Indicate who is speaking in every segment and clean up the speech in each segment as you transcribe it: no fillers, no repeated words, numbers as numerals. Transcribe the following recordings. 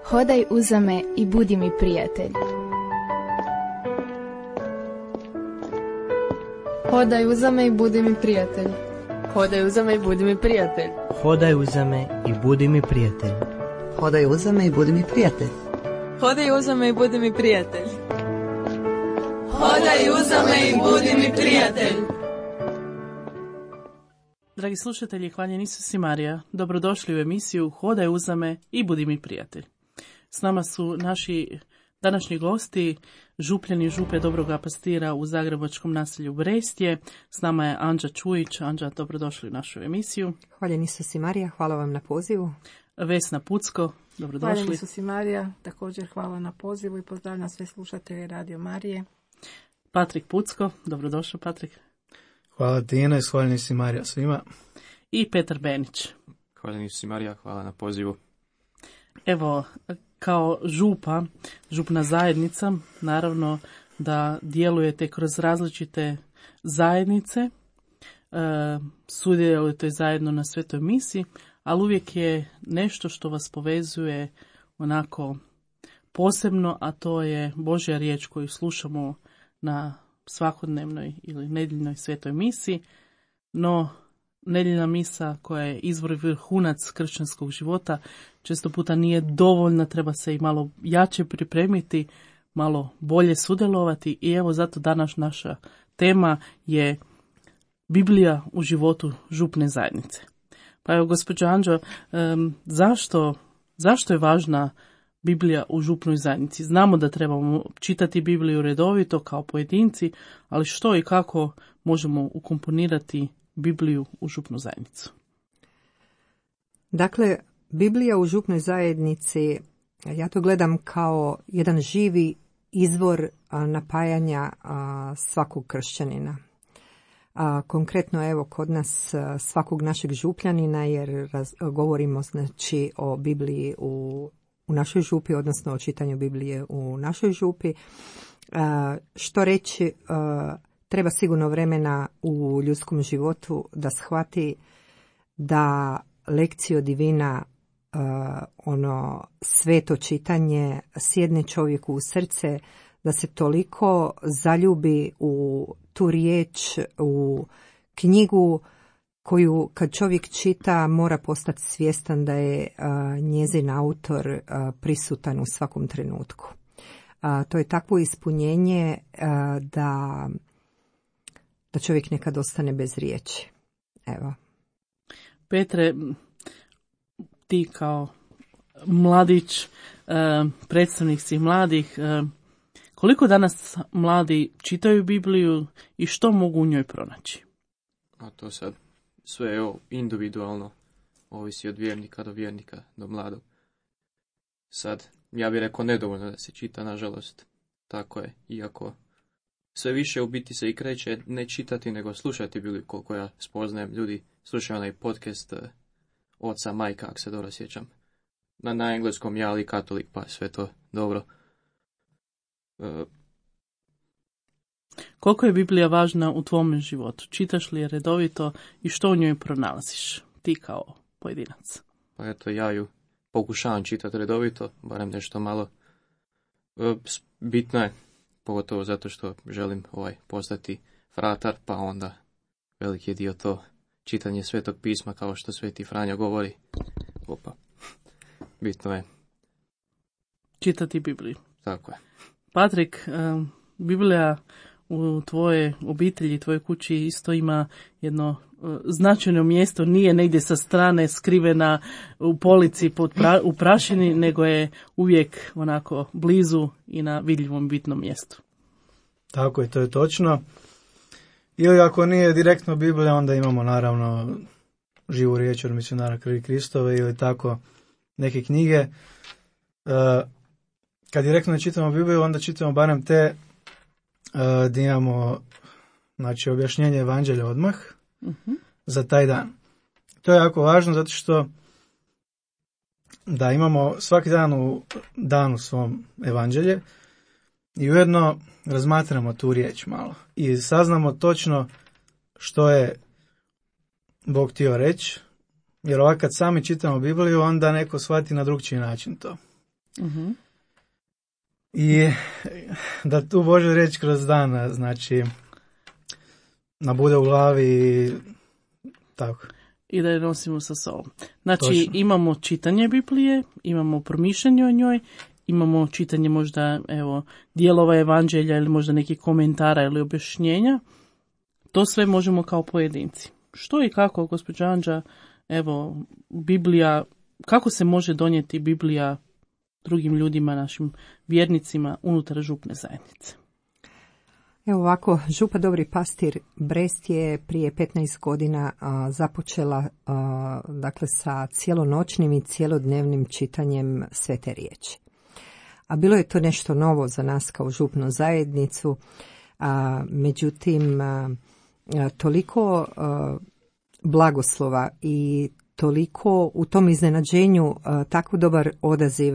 Speaker 1: Hodaj uza me i budi mi prijatelj.
Speaker 2: Hodaj uza me i budi mi prijatelj.
Speaker 3: Hodaj uza me i budi mi prijatelj.
Speaker 4: Hodaj uza me i budi mi prijatelj.
Speaker 5: Hodaj uza me i budi mi prijatelj.
Speaker 3: Hodaj uza me i budi mi prijatelj.
Speaker 6: Hodaj uza me i budi mi prijatelj.
Speaker 7: Dragi slušatelji, hvaljen Isus i Marija, dobrodošli u emisiju Hodaj uza me i budi mi prijatelj. S nama su naši današnji gosti, župljani župe Dobroga Pastira u zagrebačkom naselju Brestje. S nama je Anđa Čujić. Anđa, dobrodošli u našu emisiju.
Speaker 8: Hvaljen Isus i Marija, hvala vam na pozivu.
Speaker 7: Vesna Pucko, dobrodošli.
Speaker 2: Hvaljen Isus i Marija, također hvala na pozivu i pozdravljam sve slušatelje Radio Marije.
Speaker 7: Patrik Pucko, dobrodošao Patrik.
Speaker 9: Hvala ti Ines, hvaljen Isus i Marija svima.
Speaker 7: I Petar Benić.
Speaker 10: Hvaljen Isus i Marija, hvala na pozivu.
Speaker 7: Evo, kao župna zajednica, naravno da djelujete kroz različite zajednice, sudjelujete zajedno na svetoj misi, ali uvijek je nešto što vas povezuje onako posebno, a to je Božja riječ koju slušamo na svakodnevnoj ili nedjeljnoj svetoj misi, no nedjeljna misa koja je izvor i vrhunac kršćanskog života često puta nije dovoljna, treba se i malo jače pripremiti, malo bolje sudjelovati i evo zato danas naša tema je Biblija u životu župne zajednice. Pa evo gospođo Anđo, zašto je važna Biblija u župnoj zajednici? Znamo da trebamo čitati Bibliju redovito kao pojedinci, ali što i kako možemo ukomponirati Bibliju u župnu zajednicu?
Speaker 8: Dakle, Biblija u župnoj zajednici, ja to gledam kao jedan živi izvor napajanja svakog kršćanina. Konkretno evo kod nas svakog našeg župljanina, jer govorimo znači o Bibliji u našoj župi, odnosno o čitanju Biblije u našoj župi. Što reći, treba sigurno vremena u ljudskom životu da shvati da lekcio divina, ono sveto čitanje sjedne čovjeku u srce, da se toliko zaljubi u tu riječ, u knjigu koju kad čovjek čita mora postati svjestan da je njezin autor prisutan u svakom trenutku. To je takvo ispunjenje da čovjek nekad ostane bez riječi. Evo.
Speaker 7: Petre, ti kao mladić, predstavnik svih mladih, koliko danas mladi čitaju Bibliju i što mogu u njoj pronaći?
Speaker 10: A to sad sve je individualno, ovisi od vjernika do vjernika, do mladog. Sad, ja bih rekao nedovoljno da se čita, nažalost. Tako je, iako sve više u biti se i kreće ne čitati, nego slušati Bibliju, koliko ja spoznajem ljudi. Slušaju onaj podcast Oca Majka, ako se dobro sjećam. Na engleskom ja, ali katolik, pa sve to dobro.
Speaker 7: Koliko je Biblija važna u tvome životu? Čitaš li je redovito i što u njoj pronalaziš, ti kao pojedinac?
Speaker 10: Pa eto, ja ju pokušavam čitati redovito, barem nešto malo. Bitno je, pogotovo zato što želim postati fratar, pa onda veliki je dio to čitanje Svetog pisma, kao što Sveti Franjo govori. Bitno je
Speaker 7: čitati Bibliju.
Speaker 10: Tako je. Patrik,
Speaker 7: Biblija u tvoje obitelji, tvojoj kući isto ima jedno značajno mjesto, nije negdje sa strane skrivena u polici u prašini, nego je uvijek onako blizu i na vidljivom bitnom mjestu.
Speaker 9: Tako je, to je točno. Ili ako nije direktno Biblija, onda imamo naravno Živu riječ od misionara krvi Kristove ili tako neke knjige. Kad direktno ne čitamo Bibliju, onda čitamo barem te gdje imamo znači, objašnjenje evanđelja odmah za taj dan. To je jako važno zato što da imamo svaki dan u danu svom evanđelje i ujedno razmatramo tu riječ malo i saznamo točno što je Bog htio reći, jer ovako kad sami čitamo Bibliju, onda neko shvati na drugčiji način to. Uh-huh. I da tu Božja riječ kroz dan, znači, nabude u glavi i tako.
Speaker 7: I da je nosimo sa sobom. Znači,
Speaker 9: Točno.
Speaker 7: Imamo čitanje Biblije, imamo promišljanje o njoj, imamo čitanje možda, evo, dijelova evanđelja ili možda nekih komentara ili objašnjenja. To sve možemo kao pojedinci. Što i kako, gospođa Anđa, evo, Biblija, kako se može donijeti Biblija drugim ljudima, našim vjernicima unutar župne zajednice?
Speaker 8: Evo ovako, Župa Dobri Pastir Brest je prije 15 godina započela dakle sa cijelonoćnim i cijelodnevnim čitanjem Svete riječi. A bilo je to nešto novo za nas kao župnu zajednicu, međutim toliko blagoslova i toliko u tom iznenađenju tako dobar odaziv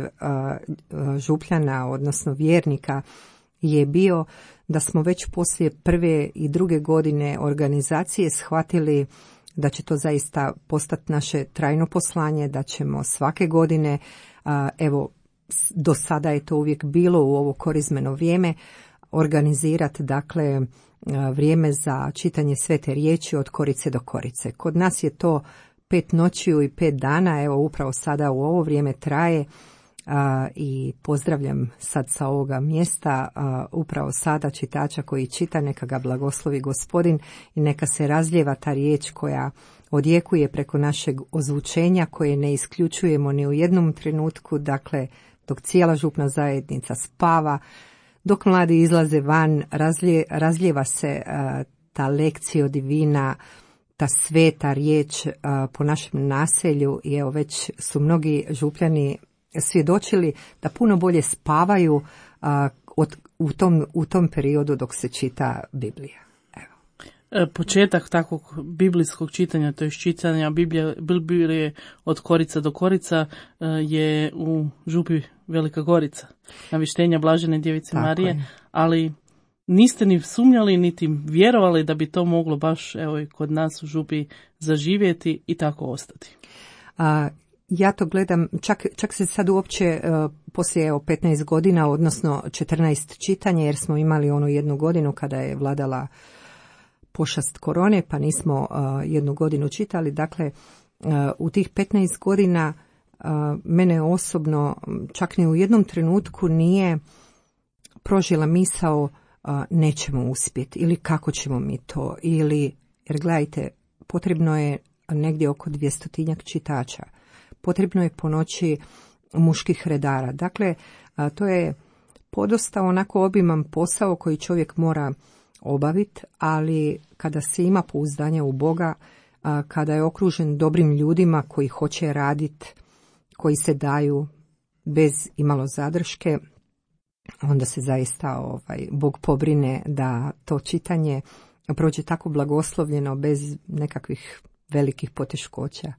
Speaker 8: župljana, odnosno vjernika, je bio da smo već poslije prve i druge godine organizacije shvatili da će to zaista postati naše trajno poslanje, da ćemo svake godine, evo do sada je to uvijek bilo u ovo korizmeno vrijeme, organizirati dakle vrijeme za čitanje Svete riječi od korice do korice. Kod nas je to 5 noćiju i 5 dana, evo upravo sada u ovo vrijeme traje. I pozdravljam sad sa ovoga mjesta upravo sada čitača koji čita, neka ga blagoslovi Gospodin i neka se razlijeva ta riječ koja odjekuje preko našeg ozvučenja, koje ne isključujemo ni u jednom trenutku, dakle dok cijela župna zajednica spava, dok mladi izlaze van, razlijeva se ta lekcija divina, ta sveta riječ po našem naselju i evo već su mnogi župljani svjedočili da puno bolje spavaju u tom periodu dok se čita Biblija. Evo.
Speaker 7: Početak takvog biblijskog čitanja, to je čitanja Biblije od korica do korica, je u župi Velika Gorica, navještenja Blažene djevice
Speaker 8: Tako
Speaker 7: Marije,
Speaker 8: je.
Speaker 7: ali niste ni sumnjali niti vjerovali da bi to moglo baš evo i kod nas u župi zaživjeti i tako ostati.
Speaker 8: Ja to gledam, čak se sad uopće poslije 15 godina, odnosno 14 čitanja, jer smo imali onu jednu godinu kada je vladala pošast korone, pa nismo jednu godinu čitali. Dakle, u tih 15 godina mene osobno čak ni u jednom trenutku nije prožila misao nećemo uspjeti ili kako ćemo mi to, ili, jer gledajte, potrebno je negdje oko 200-tinjak čitača. Potrebno je po noći muških redara. Dakle, to je podosta onako obiman posao koji čovjek mora obaviti, ali kada se ima pouzdanje u Boga, kada je okružen dobrim ljudima koji hoće raditi, koji se daju bez imalo zadrške, onda se zaista Bog pobrine da to čitanje prođe tako blagoslovljeno bez nekakvih velikih poteškoća.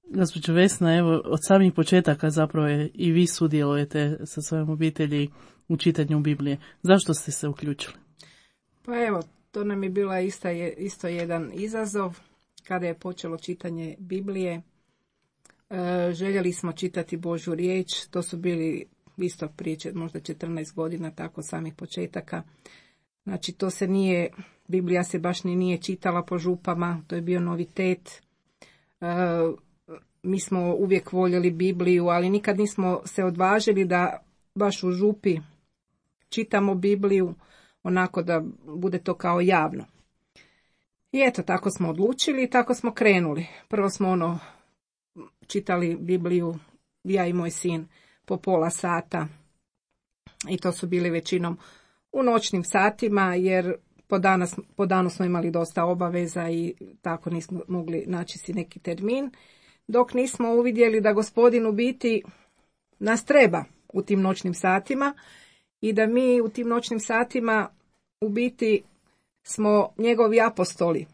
Speaker 7: Gospođo Vesna, evo od samih početaka zapravo i vi sudjelujete sa svojom obitelji u čitanju Biblije. Zašto ste se uključili?
Speaker 2: Pa evo, to nam je bila isto jedan izazov kada je počelo čitanje Biblije. Željeli smo čitati Božju riječ, to su bili isto prije možda 14 godina, tako samih početaka. Znači to se nije, Biblija se baš ni nije čitala po župama, to je bio novitet. Mi smo uvijek voljeli Bibliju, ali nikad nismo se odvažili da baš u župi čitamo Bibliju, onako da bude to kao javno. I eto, tako smo odlučili i tako smo krenuli. Prvo smo čitali Bibliju, ja i moj sin, po pola sata. I to su bili većinom u noćnim satima, jer po danu smo imali dosta obaveza i tako nismo mogli naći si neki termin. Dok nismo uvidjeli da Gospodin u biti nas treba u tim noćnim satima i da mi u tim noćnim satima u biti smo njegovi apostoli.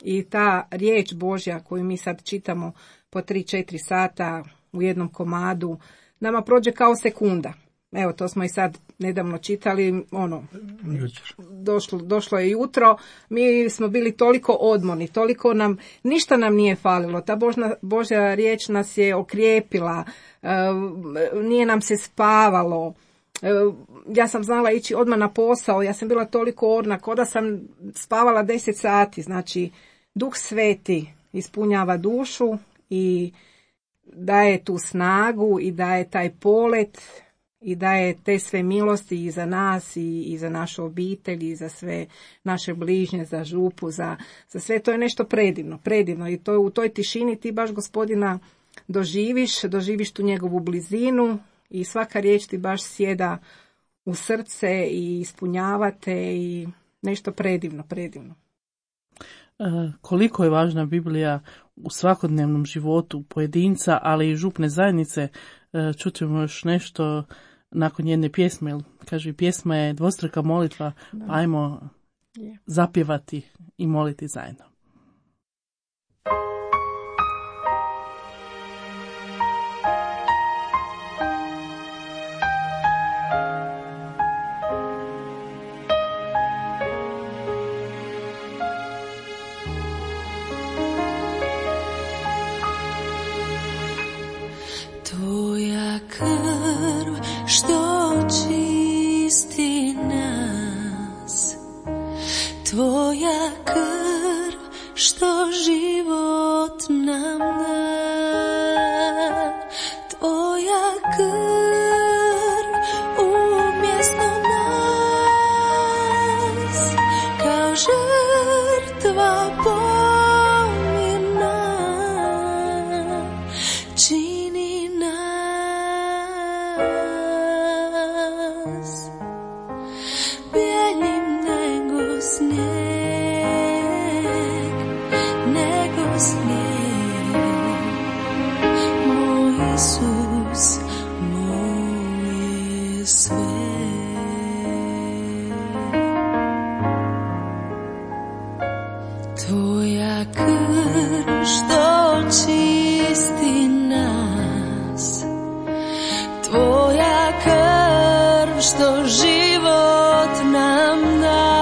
Speaker 2: I ta riječ Božja koju mi sad čitamo po 3-4 sata u jednom komadu, nama prođe kao sekunda. evo to smo i sad nedavno čitali,
Speaker 9: Jučer.
Speaker 2: došlo je jutro, mi smo bili toliko odmorni, toliko ništa nam nije falilo, ta Božja riječ nas je okrijepila, nije nam se spavalo, ja sam znala ići odmah na posao, ja sam bila toliko orna, kao da sam spavala 10 sati, znači Duh Sveti ispunjava dušu i daje tu snagu i daje taj polet i daje te sve milosti i za nas i za našu obitelj i za sve naše bližnje, za župu, za sve. To je nešto predivno i to u toj tišini ti baš Gospodina doživiš tu njegovu blizinu i svaka riječ ti baš sjeda u srce i ispunjavate i nešto predivno.
Speaker 7: Koliko je važna Biblija u svakodnevnom životu pojedinca, ali i župne zajednice. Čućemo još nešto nakon jedne pjesme. Kaže, pjesma je dvostruka molitva, pa ajmo zapjevati i moliti zajedno.
Speaker 6: Tvoja krv što čisti nas, tvoja krv što život nam da, tvoja krv umjesto nas kao žrtva pomirna čini nas bijeljim nego snijeg, moj Isus, moje sve. Tvoja krv što čisti nas, tvoja krv što život nam da,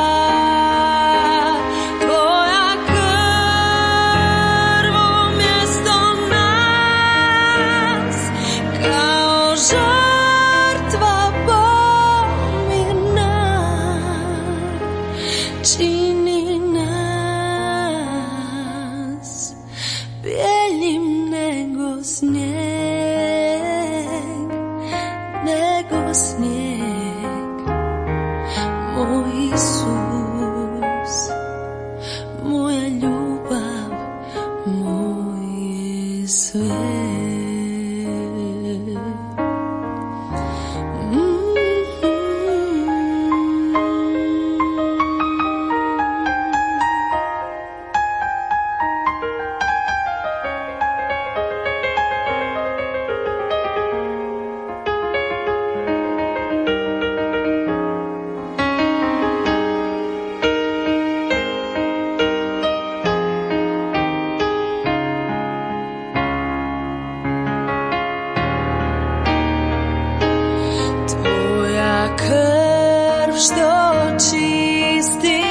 Speaker 6: tvoja krv umjesto nas kao žrtva pomirna čini nas bijeljim nego snijeg, moj Isus, moja ljubav, moje sve. Tvoja krv što čisti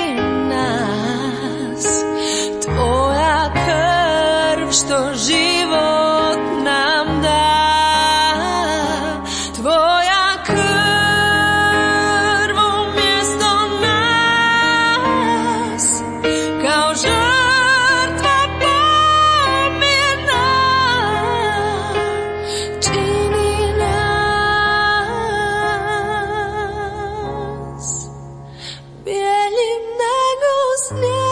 Speaker 6: nas, tvoja krv što život nam da, tvoja krv umjesto nas kao žrtva pomirna čini nas bijeljim nego snijeg,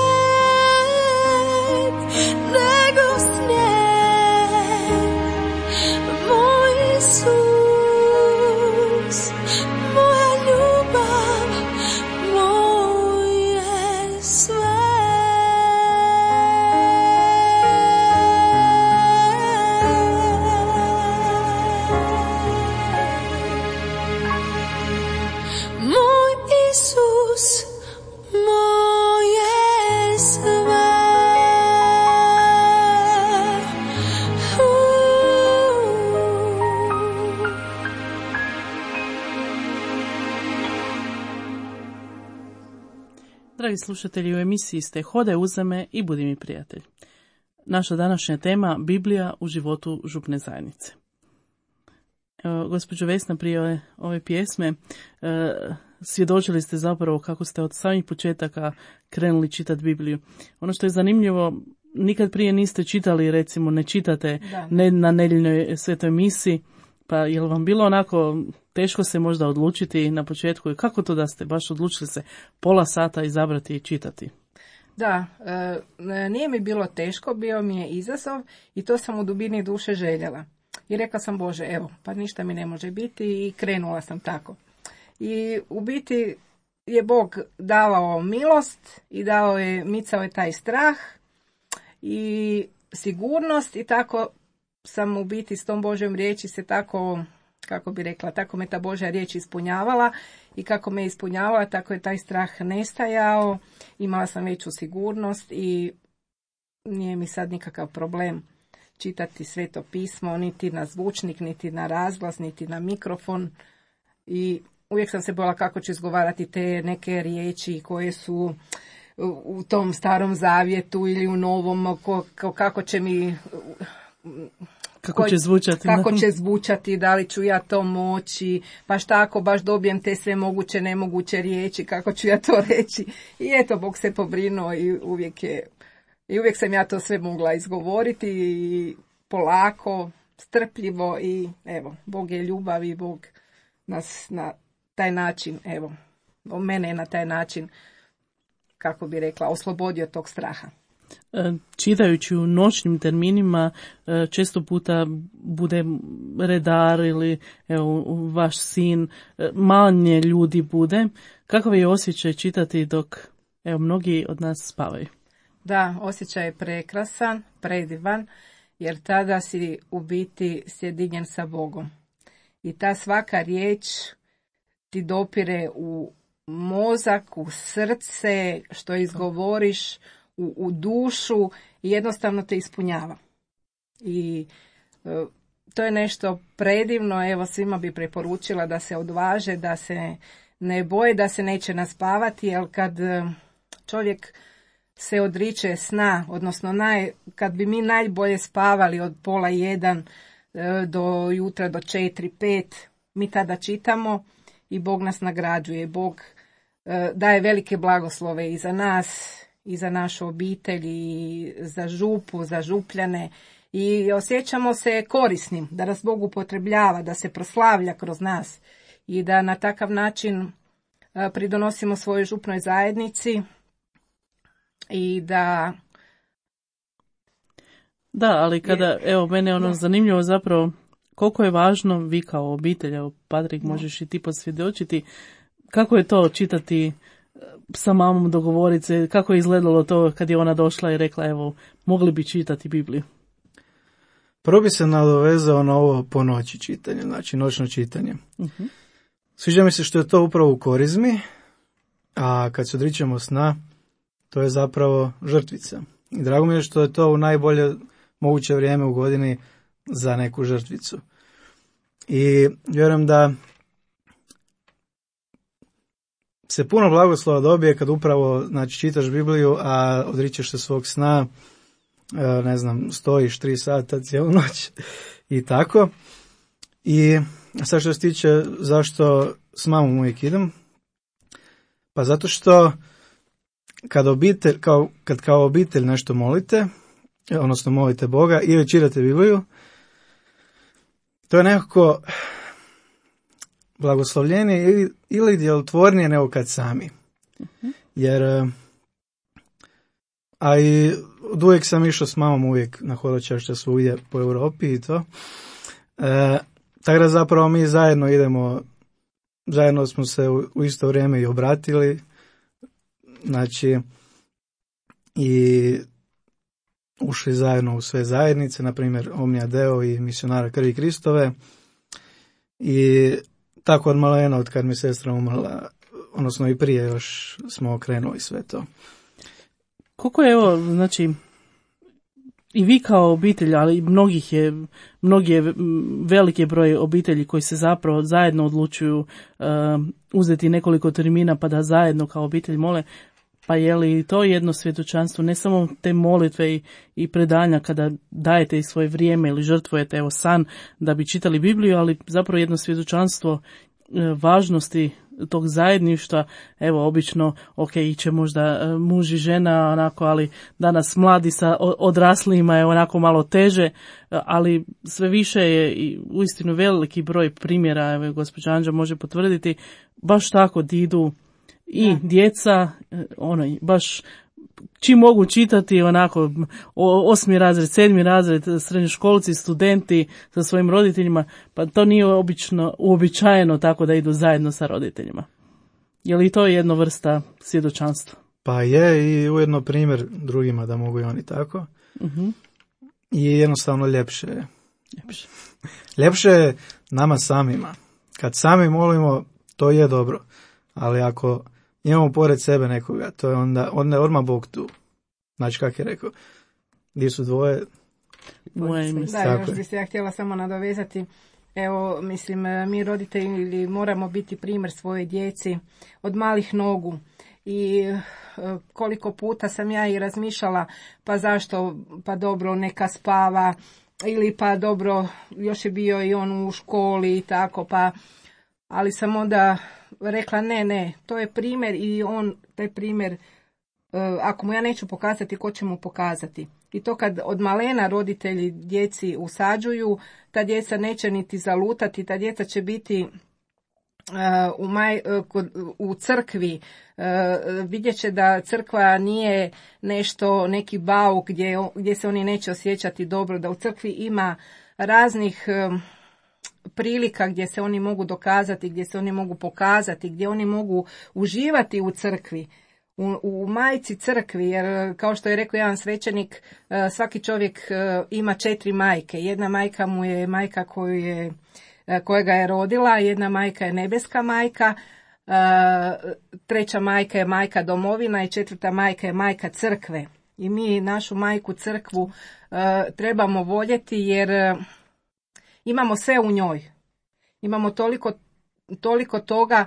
Speaker 7: Dragi slušatelji, u emisiji ste Hodaj uza me i budi mi prijatelj. Naša današnja tema Biblija u životu župne zajednice. Evo, gospođo Vesna, prije ove pjesme svjedočili ste zapravo kako ste od samih početaka krenuli čitati Bibliju. Ono što je zanimljivo, nikad prije niste čitali, recimo ne čitate na nedjeljnoj svetoj misi, pa je li vam bilo onako teško se možda odlučiti na početku i kako to da ste baš odlučili se pola sata izabrati i čitati?
Speaker 2: Da, nije mi bilo teško, bio mi je izazov i to sam u dubini duše željela. I rekla sam, Bože, evo, pa ništa mi ne može biti i krenula sam tako. I u biti je Bog davao milost i micao je taj strah i sigurnost i tako sam u biti s tom Božjom riječi se tako, kako bi rekla, tako me ta Božja riječ ispunjavala i kako me ispunjavala, tako je taj strah nestajao, imala sam veću sigurnost i nije mi sad nikakav problem čitati Sveto pismo, niti na zvučnik, niti na razglas, niti na mikrofon i uvijek sam se bojala kako ću izgovarati te neke riječi koje su u tom starom zavjetu ili u novom, kako će mi...
Speaker 7: Kako će
Speaker 2: zvučati, da li ću ja to moći, pa šta ako baš dobijem te sve moguće, nemoguće riječi, kako ću ja to reći. I eto, Bog se pobrinuo i uvijek sam ja to sve mogla izgovoriti i polako, strpljivo i evo, Bog je ljubav i Bog nas na taj način, evo, mene je na taj način, kako bi rekla, oslobodio tog straha.
Speaker 7: Čitajući u noćnim terminima često puta bude redar ili evo, vaš sin, manje ljudi bude. Kakav je osjećaj čitati dok evo, mnogi od nas spavaju?
Speaker 2: Da, osjećaj je prekrasan, predivan, jer tada si u biti sjedinjen sa Bogom. I ta svaka riječ ti dopire u mozak, u srce, što izgovoriš, u dušu i jednostavno te ispunjava. I to je nešto predivno, evo svima bi preporučila da se odvaže, da se ne boje, da se neće naspavati, jer kad čovjek se odriče sna, odnosno kad bi mi najbolje spavali od 12:30 do jutra do 4-5, mi tada čitamo i Bog nas nagrađuje. Bog daje velike blagoslove i za nas, i za našu obitelj, i za župu, za župljane. I osjećamo se korisnim, da nas Bog upotrebljava, da se proslavlja kroz nas i da na takav način pridonosimo svojoj župnoj zajednici i da...
Speaker 7: Da, ali kada, evo, mene je zanimljivo zapravo koliko je važno vi kao obitelj, evo, Patrik, možeš i ti posvjedočiti, kako je to čitati sa mamom, dogovoriti se, kako je izgledalo to kad je ona došla i rekla, evo, mogli bi čitati Bibliju?
Speaker 9: Prvo bi se nadovezao na ovo po noći čitanje, znači noćno čitanje. Uh-huh. Sviđa mi se što je to upravo u korizmi, a kad se odričemo sna, to je zapravo žrtvica. I drago mi je što je to u najbolje moguće vrijeme u godini za neku žrtvicu. I vjerujem da se puno blagoslova dobije kad upravo, znači, čitaš Bibliju, a odričeš se svog sna, ne znam, stojiš 3 sata cijelu noć i tako. I sad što se tiče zašto s mamom uvijek idem, pa zato što kad kao obitelj nešto molite, odnosno molite Boga ili čitate Bibliju, to je nekako blagoslovljenije ili djelotvornije nego kad sami. Uh-huh. Jer a i od uvijek sam išao s mamom uvijek na hodočašće svugdje po Europi i to. Tako da zapravo mi zajedno idemo, zajedno smo se u isto vrijeme i obratili, znači i ušli zajedno u sve zajednice, na primjer Omnia Deo i Misionara krvi Kristove, i tako od malena, od kad mi sestra umrla, odnosno i prije još smo okrenuli sve to.
Speaker 7: Koliko je, evo, znači, i vi kao obitelj, ali mnogi je veliki broj obitelji koji se zapravo zajedno odlučuju uzeti nekoliko termina pa da zajedno kao obitelj mole. Pa je li to jedno svjedočanstvo, ne samo te molitve i predanja kada dajete i svoje vrijeme ili žrtvujete evo san da bi čitali Bibliju, ali zapravo jedno svjedočanstvo važnosti tog zajedništva, evo obično, iće možda muž i žena onako, ali danas mladi sa odraslima je onako malo teže, ali sve više je i uistinu veliki broj primjera, evo gospođa Anđa može potvrditi, baš tako di idu i djeca, baš čim mogu čitati onako 8. razred, 7. razred, srednjoškolci, studenti sa svojim roditeljima, pa to nije uobičajeno tako da idu zajedno sa roditeljima. Je li to jedna vrsta svjedočanstva?
Speaker 9: Pa je, i ujedno primjer drugima da mogu i oni tako.
Speaker 7: Uh-huh.
Speaker 9: I jednostavno ljepše je. Ljepše je nama samima. Kad sami molimo, to je dobro. Ali ako imamo pored sebe nekoga, to je onda je odmah Bog tu. Znači, kako je rekao, gdje su dvoje?
Speaker 2: Da, još bi se ja htjela samo nadovezati. Evo, mislim, mi roditelji moramo biti primjer svoje djeci od malih nogu. I koliko puta sam ja i razmišljala, pa zašto, pa dobro, neka spava, ili pa dobro, još je bio i on u školi i tako, pa, ali sam onda rekla ne, to je primjer i on, taj primjer, ako mu ja neću pokazati, ko će mu pokazati? I to kad od malena roditelji djeci usađuju, ta djeca neće niti zalutati, ta djeca će biti u crkvi, vidjet će da crkva nije nešto, neki bauk gdje se oni neće osjećati dobro, da u crkvi ima raznih prilika gdje se oni mogu dokazati, gdje se oni mogu pokazati, gdje oni mogu uživati u crkvi, u majci crkvi, jer kao što je rekao jedan svećenik, svaki čovjek ima 4 majke. Jedna majka mu je majka koja ga je rodila, jedna majka je nebeska majka, treća majka je majka domovina i četvrta majka je majka crkve. I mi našu majku crkvu trebamo voljeti jer imamo sve u njoj. Imamo toliko toga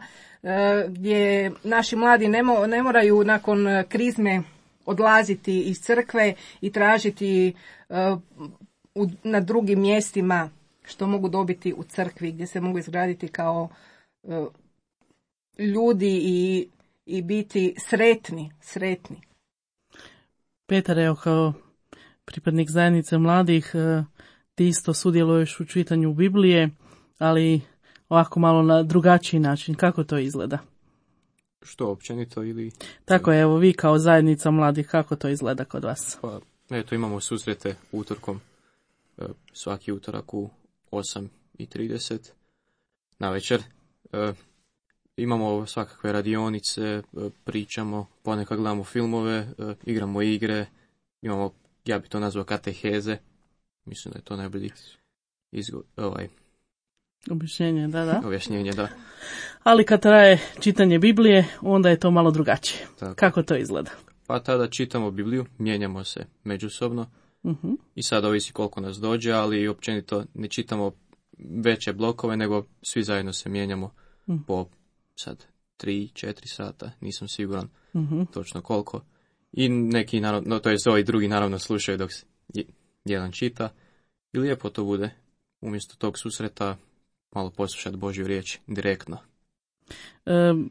Speaker 2: gdje naši mladi ne moraju nakon krizme odlaziti iz crkve i tražiti na drugim mjestima što mogu dobiti u crkvi, gdje se mogu izgraditi kao ljudi i biti sretni.
Speaker 7: Petar, evo kao pripadnik zajednice mladih, ti isto sudjeluješ u čitanju Biblije, ali ovako malo na drugačiji način. Kako to izgleda?
Speaker 10: Što, općenito ili...
Speaker 7: Tako je, evo vi kao zajednica mladih, kako to izgleda kod vas?
Speaker 10: Pa, eto, imamo susrete utorkom, svaki utorak u 8:30 na večer. Imamo svakakve radionice, pričamo, ponekad gledamo filmove, igramo igre, imamo, ja bi to nazvao kateheze. Mislim da je to najbolji
Speaker 7: objašnjenje, da.
Speaker 10: Objašnjenje, da.
Speaker 7: Ali kad traje čitanje Biblije, onda je to malo drugačije. Tako. Kako to izgleda?
Speaker 10: Pa tada čitamo Bibliju, mijenjamo se međusobno.
Speaker 7: Uh-huh.
Speaker 10: I sad ovisi koliko nas dođe, ali općenito ne čitamo veće blokove, nego svi zajedno se mijenjamo po sad 3-4 sata, nisam siguran točno koliko. I neki, naravno, to je ovi drugi naravno slušaju dok se jedan čita. I lijepo to bude, umjesto tog susreta, malo poslušati Božju riječ direktno.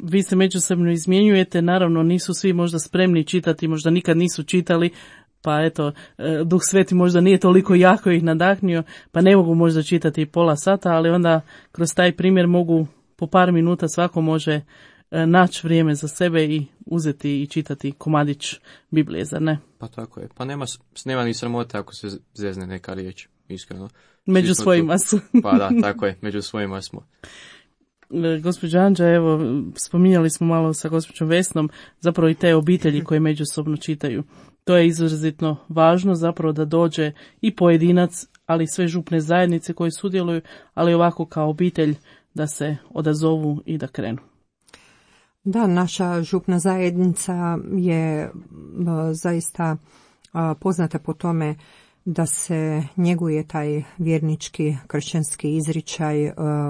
Speaker 7: Vi se međusobno izmjenjujete, naravno nisu svi možda spremni čitati, možda nikad nisu čitali, pa eto, Duh Sveti možda nije toliko jako ih nadahnio, pa ne mogu možda čitati pola sata, ali onda kroz taj primjer mogu po par minuta svako može naći vrijeme za sebe i uzeti i čitati komadić Biblije, zar ne?
Speaker 10: Pa tako je, pa nema ni sramote ako se zezne neka riječ, iskreno.
Speaker 7: Među svojima su.
Speaker 10: Pa da, tako je, među svojima smo.
Speaker 7: Gospođa Anđa, evo, spominjali smo malo sa gospođom Vesnom, zapravo i te obitelji koje međusobno čitaju. To je izrazito važno zapravo da dođe i pojedinac, ali sve župne zajednice koje sudjeluju, ali ovako kao obitelj da se odazovu i da krenu.
Speaker 8: Da, naša župna zajednica je zaista poznata po tome da se njeguje taj vjernički kršćanski izričaj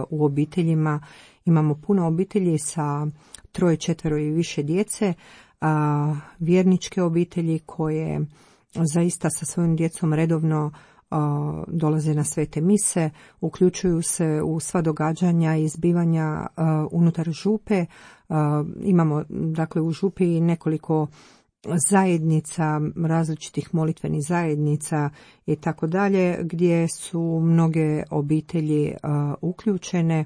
Speaker 8: u obiteljima. Imamo puno obitelji sa 3, 4 i više djece vjerničke obitelji koje zaista sa svojim djecom redovno dolaze na svete mise, uključuju se u sva događanja i zbivanja unutar župe. Imamo dakle u župi nekoliko zajednica, različitih molitvenih zajednica i tako dalje, gdje su mnoge obitelji uključene.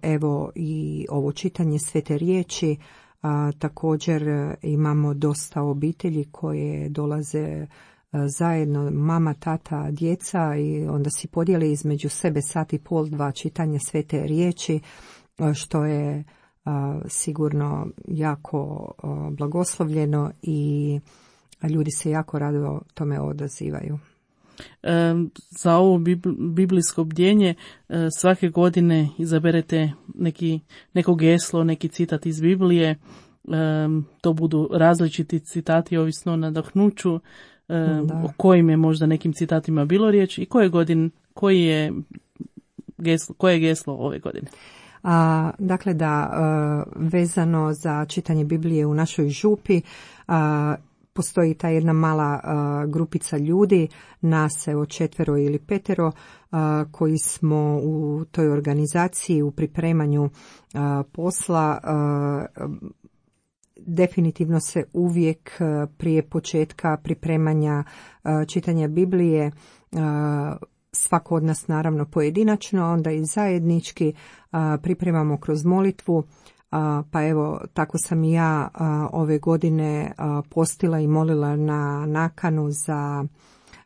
Speaker 8: Evo i ovo čitanje svete riječi. Također imamo dosta obitelji koje dolaze zajedno, mama, tata, djeca, i onda si podijeli između sebe sat i pol, dva čitanja svete riječi, što je sigurno jako blagoslovljeno i ljudi se jako rado tome odazivaju.
Speaker 7: Za ovo biblijsko bdjenje svake godine izaberete neko geslo, neki citat iz Biblije. To budu različiti citati ovisno o nadahnuću, o kojim je možda nekim citatima bilo riječ i koje je geslo ove godine.
Speaker 8: Dakle, vezano za čitanje Biblije u našoj župi, postoji ta jedna mala grupica ljudi, nas evo 4 ili 5, koji smo u toj organizaciji u pripremanju posla. Definitivno se uvijek prije početka pripremanja čitanja Biblije, svako od nas naravno pojedinačno, onda i zajednički pripremamo kroz molitvu. Pa evo, tako sam i ja ove godine postila i molila na nakanu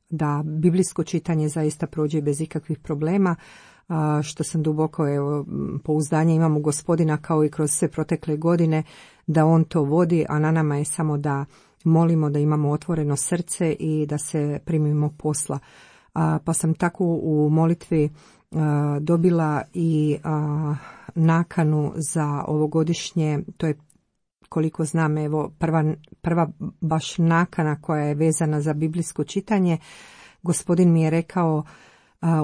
Speaker 8: da biblijsko čitanje zaista prođe bez ikakvih problema, što sam duboko pouzdanje imam u Gospodina, kao i kroz sve protekle godine, da on to vodi, a na nama je samo da molimo, da imamo otvoreno srce i da se primimo posla. Pa sam tako u molitvi dobila i nakanu za ovogodišnje, to je koliko znam evo prva baš nakana koja je vezana za biblijsko čitanje. Gospodin mi je rekao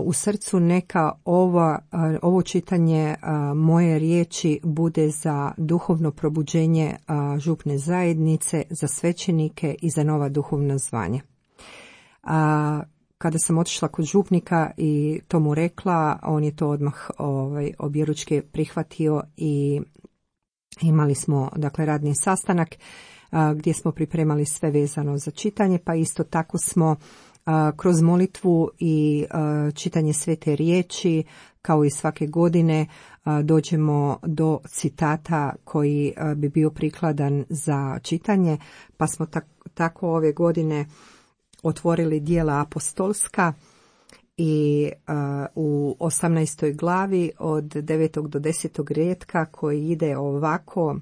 Speaker 8: u srcu, neka ovo čitanje moje riječi bude za duhovno probuđenje župne zajednice, za svećenike i za nova duhovna zvanja. Kada sam otišla kod župnika i to mu rekla, on je to odmah objeručke prihvatio i imali smo dakle radni sastanak gdje smo pripremali sve vezano za čitanje, pa isto tako smo kroz molitvu i čitanje svete riječi, kao i svake godine, dođemo do citata koji bi bio prikladan za čitanje, pa smo tako ove godine otvorili Djela apostolska i u 18. glavi od 9. do 10. rijetka koji ide ovako: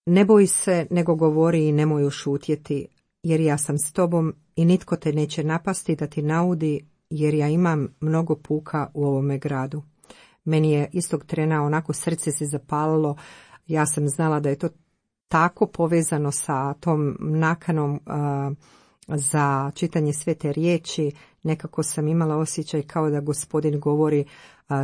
Speaker 8: ne boj se, nego govori i nemoj ušutjeti, jer ja sam s tobom i nitko te neće napasti da ti naudi, jer ja imam mnogo puka u ovome gradu. Meni je istog trena onako srce se zapalilo, ja sam znala da je to tako povezano sa tom nakanom za čitanje svete riječi. Nekako sam imala osjećaj kao da Gospodin govori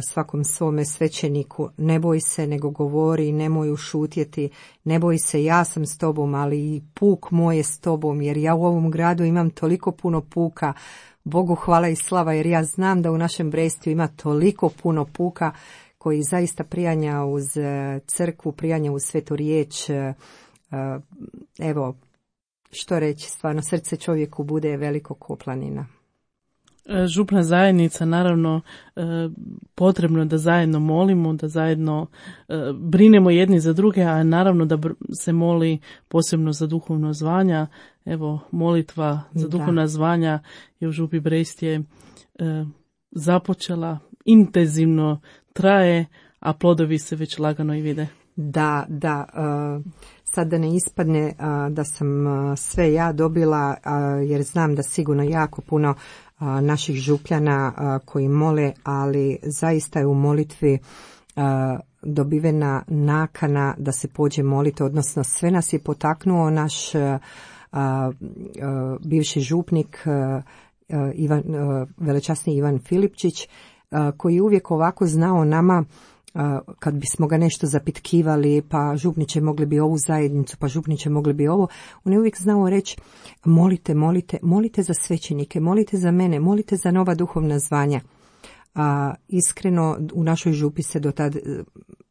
Speaker 8: svakom svome svećeniku: ne boj se, nego govori, nemoj ušutjeti, ne boj se, ja sam s tobom, ali i puk moj je s tobom, jer ja u ovom gradu imam toliko puno puka. Bogu hvala i slava, jer ja znam da u našem Brestiju ima toliko puno puka koji zaista prijanja uz crkvu, prijanja uz svetu riječ. Evo, što reći, stvarno srce čovjeku bude veliko ko planina.
Speaker 7: Župna zajednica, naravno, potrebno da zajedno molimo, da zajedno brinemo jedni za druge, a naravno da se moli posebno za duhovno zvanja. Evo, molitva za duhovna zvanja je u župi Brestije započela, intenzivno traje, a plodovi se već lagano i vide.
Speaker 8: Da, sad da ne ispadne da sam sve ja dobila, jer znam da sigurno jako puno naših župljana koji mole, ali zaista je u molitvi dobivena nakana da se pođe moliti, odnosno sve nas je potaknuo naš bivši župnik velečasni Ivan Filipčić, koji uvijek ovako znao nama kad bismo ga nešto zapitkivali, pa župniče mogli bi ovu zajednicu, pa župniče mogli bi ovo, on je uvijek znao reći molite za svećenike, molite za mene, molite za nova duhovna zvanja. Iskreno u našoj župi se do tad,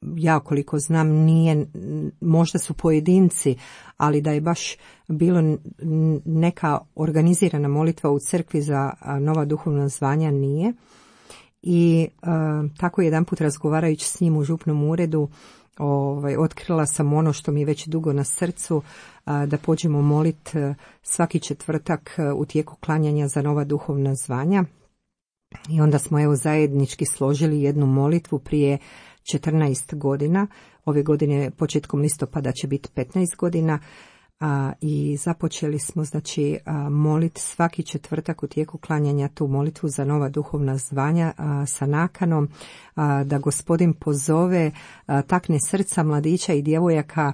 Speaker 8: ja koliko znam, nije, možda su pojedinci, ali da je baš bilo neka organizirana molitva u crkvi za nova duhovna zvanja, nije. I tako jedanput razgovarajući s njim u župnom uredu, otkrila sam ono što mi je već dugo na srcu, da pođemo molit svaki četvrtak u tijeku klanjanja za nova duhovna zvanja. I onda smo zajednički složili jednu molitvu prije 14 godina. Ove godine početkom listopada će biti 15 godina. I započeli smo moliti svaki četvrtak u tijeku klanjanja tu molitvu za nova duhovna zvanja sa nakanom da Gospodin pozove, takne srca mladića i djevojaka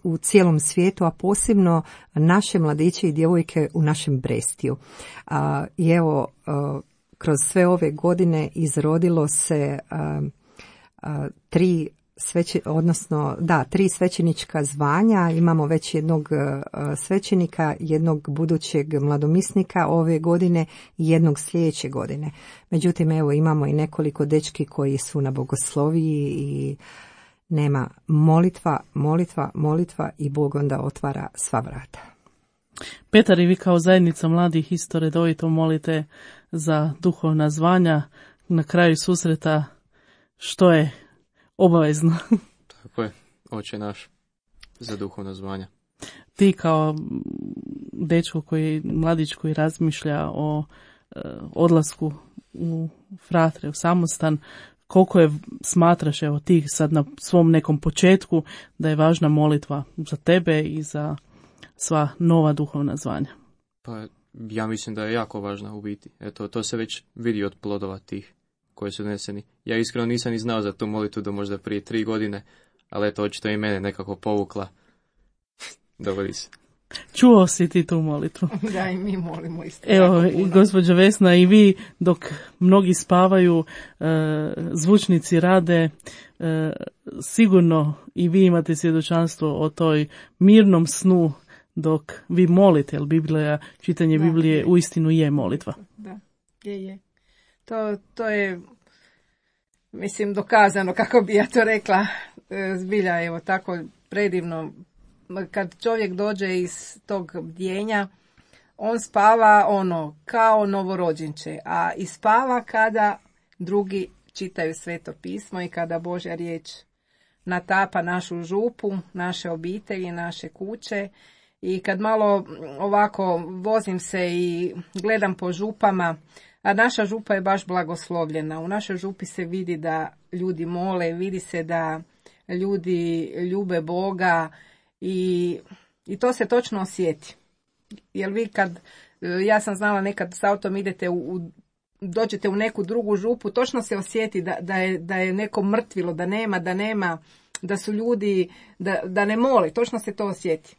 Speaker 8: u cijelom svijetu, a posebno naše mladiće i djevojke u našem Brestiju. I evo, kroz sve ove godine izrodilo se tri svećenička zvanja. Imamo već jednog svećenika, jednog budućeg mladomisnika ove godine i jednog sljedeće godine. Međutim, evo, imamo i nekoliko dečki koji su na bogosloviji i nema molitva i Bog onda otvara sva vrata.
Speaker 7: Petar, i vi kao zajednica mladih isto redovito molite za duhovna zvanja na kraju susreta, što je obavezno.
Speaker 10: Tako je, Oče naš, za duhovna zvanja.
Speaker 7: Ti kao dečko mladić koji razmišlja o odlasku u fratre, u samostan, koliko je, smatraš, evo ti sad na svom nekom početku, da je važna molitva za tebe i za sva nova duhovna zvanja?
Speaker 10: Pa ja mislim da je jako važna u biti. Eto, to se već vidi od plodova tih koji su doneseni. Ja iskreno nisam ni znao za tu molitvu do možda prije 3 godine, ali eto, očito i mene nekako povukla. Dogodi se.
Speaker 7: Čuo si ti tu molitvu?
Speaker 2: Da, i mi molimo isto.
Speaker 7: Evo, gospođo Vesna, i vi dok mnogi spavaju, zvučnici rade, sigurno i vi imate svjedočanstvo o toj mirnom snu dok vi molite, jer čitanje Biblije uistinu je molitva.
Speaker 2: Da, je. To je, mislim, dokazano, kako bi ja to rekla, zbilja, evo, tako predivno. Kad čovjek dođe iz tog bdjenja, on spava kao novorođenče, a i spava kada drugi čitaju Sveto pismo i kada Božja riječ natapa našu župu, naše obitelji, naše kuće. I kad malo ovako vozim se i gledam po župama, a naša župa je baš blagoslovljena. U našoj župi se vidi da ljudi mole, vidi se da ljudi ljube Boga i to se točno osjeti. Jer vi ja sam znala nekad s autom idete dođete u neku drugu župu, točno se osjeti da je neko mrtvilo, da nema, da su ljudi, da ne mole, točno se to osjeti.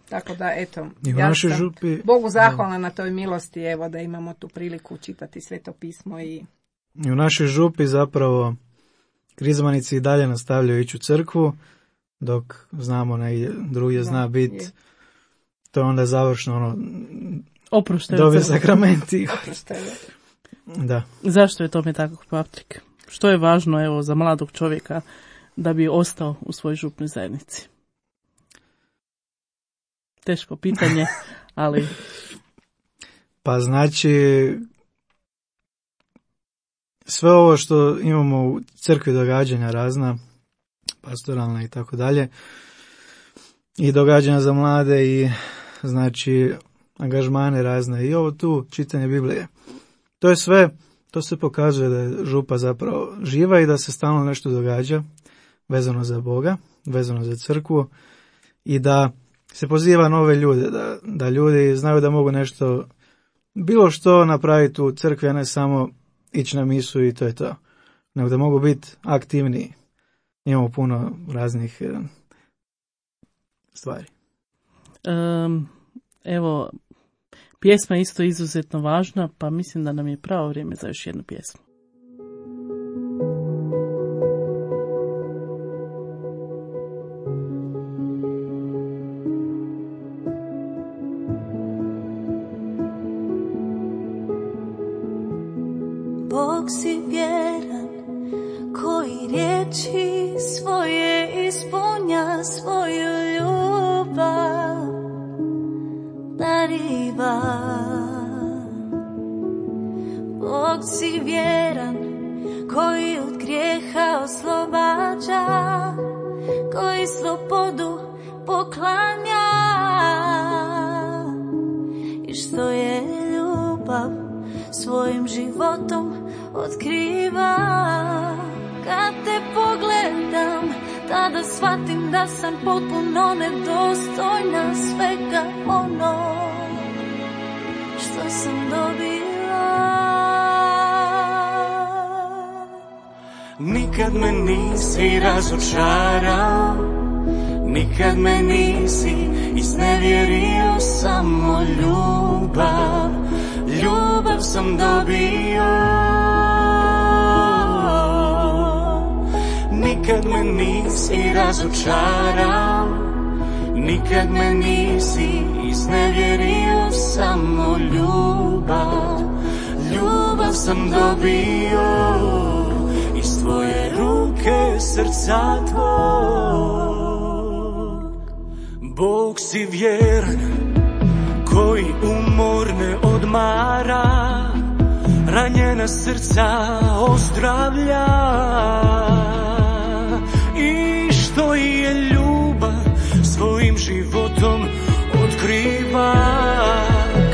Speaker 2: Tako da, eto, ja sam župi, Bogu zahvalna na toj milosti, evo, da imamo tu priliku čitati Sveto pismo. I
Speaker 9: u našoj župi zapravo krizmanici i dalje nastavljaju ići u crkvu, dok znamo drugdje zna biti, to je onda završno dobije sakramenti. Da.
Speaker 7: Zašto je tome tako, Patrik? Što je važno, evo, za mladog čovjeka da bi ostao u svojoj župnoj zajednici? Teško pitanje, ali...
Speaker 9: Pa znači, sve ovo što imamo u crkvi, događanja razna, pastoralna i tako dalje, i događanja za mlade i znači angažmane razne i ovo tu čitanje Biblije. To je sve, to se pokazuje da je župa zapravo živa i da se stalno nešto događa vezano za Boga, vezano za crkvu i da se poziva nove ljude, da ljudi znaju da mogu nešto, bilo što napraviti u crkvi, a ne samo ići na misu i to je to, nego da mogu biti aktivniji. Imamo puno raznih stvari.
Speaker 7: Evo, pjesma je isto izuzetno važna, pa mislim da nam je pravo vrijeme za još jednu pjesmu.
Speaker 6: Bog si vjeran, koji riječi svoje ispunja, svoju ljubav dariva. Bog si vjeran, koji od grijeha oslobađa, koji slobodu poklanja, i što je ljubav svojim životom otkriva. Kad te pogledam, tada shvatim da sam potpuno nedostojna svega ono što sam dobila.
Speaker 11: Nikad me nisi razočarao, nikad me nisi iznevjerio, samo ljubav, ljubav sam dobio. Nikad me nisi razočarao, nikad me nisi iznevjerio, samo ljubav, ljubav sam dobio. Iz tvoje ruke, srca tvog. Bog si vjeran, koji umor ne odmara, ranjena srca ozdravlja. I što je ljubav svojim životom otkriva.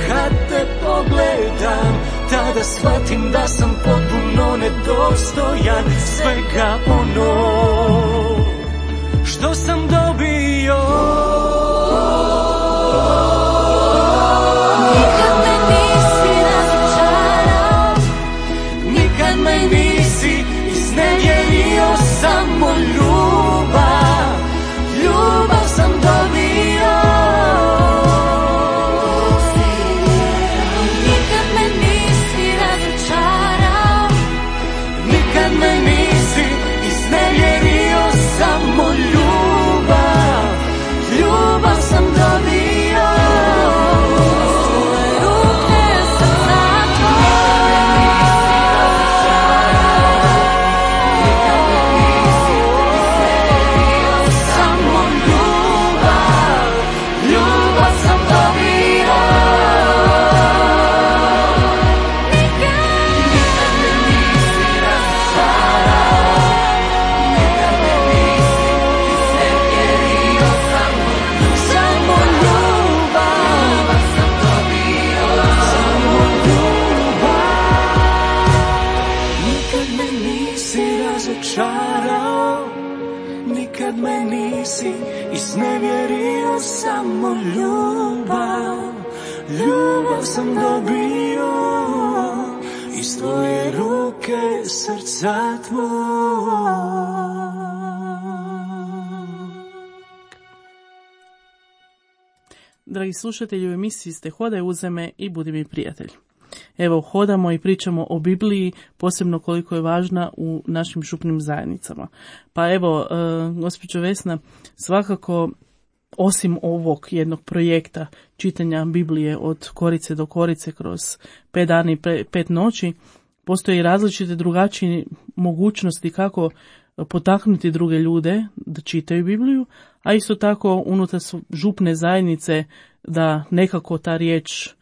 Speaker 11: Kad te pogledam, tada shvatim da sam potpuno nedostojan svega ono što sam dobio.
Speaker 6: Nikad me nisi razočarao,
Speaker 11: nikad me nisi iznevjerio, samo ljubav, ljubav sam dobio.
Speaker 6: nikad me nisi razočarao,
Speaker 11: Nikad me nisi iznevjerio, samo ljubav, ljubav sam dobio. Nikad me nisi iznevjerio, samo ljubav, ljubav sam dobio. Iz tvoje ruke, srca tvog.
Speaker 7: Dragi slušatelji, u emisiji ste Hodaj uza me i budi mi prijatelj. Evo, hodamo i pričamo o Bibliji, posebno koliko je važna u našim župnim zajednicama. Pa evo, gospođo Vesna, svakako osim ovog jednog projekta čitanja Biblije od korice do korice kroz 5 dana i 5 noći, postoje i različite drugačije mogućnosti kako potaknuti druge ljude da čitaju Bibliju, a isto tako unutar župne zajednice da nekako ta riječ,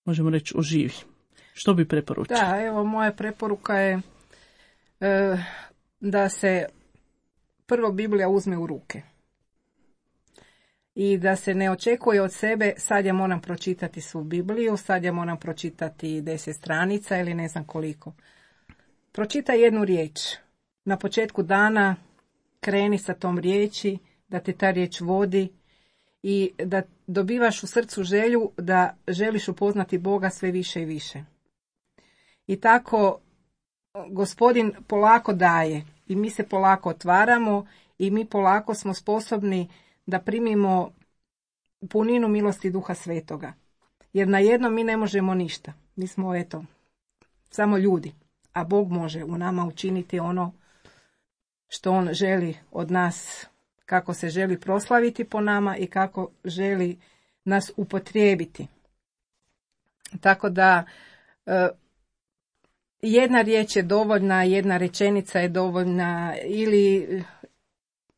Speaker 7: možemo reći, oživi. Što bi preporučili?
Speaker 2: Da, evo moja preporuka je da se prvo Biblija uzme u ruke. I da se ne očekuje od sebe, sad ja moram pročitati svu Bibliju, sad ja moram pročitati 10 stranica ili ne znam koliko. Pročitaj jednu riječ. Na početku dana kreni sa tom riječi, da te ta riječ vodi i da dobivaš u srcu želju da želiš upoznati Boga sve više i više. I tako Gospodin polako daje i mi se polako otvaramo i mi polako smo sposobni da primimo puninu milosti Duha Svetoga. Jer na jedno mi ne možemo ništa. Mi smo, samo ljudi. A Bog može u nama učiniti ono što On želi od nas, kako se želi proslaviti po nama i kako želi nas upotrijebiti. Tako da jedna riječ je dovoljna, jedna rečenica je dovoljna, ili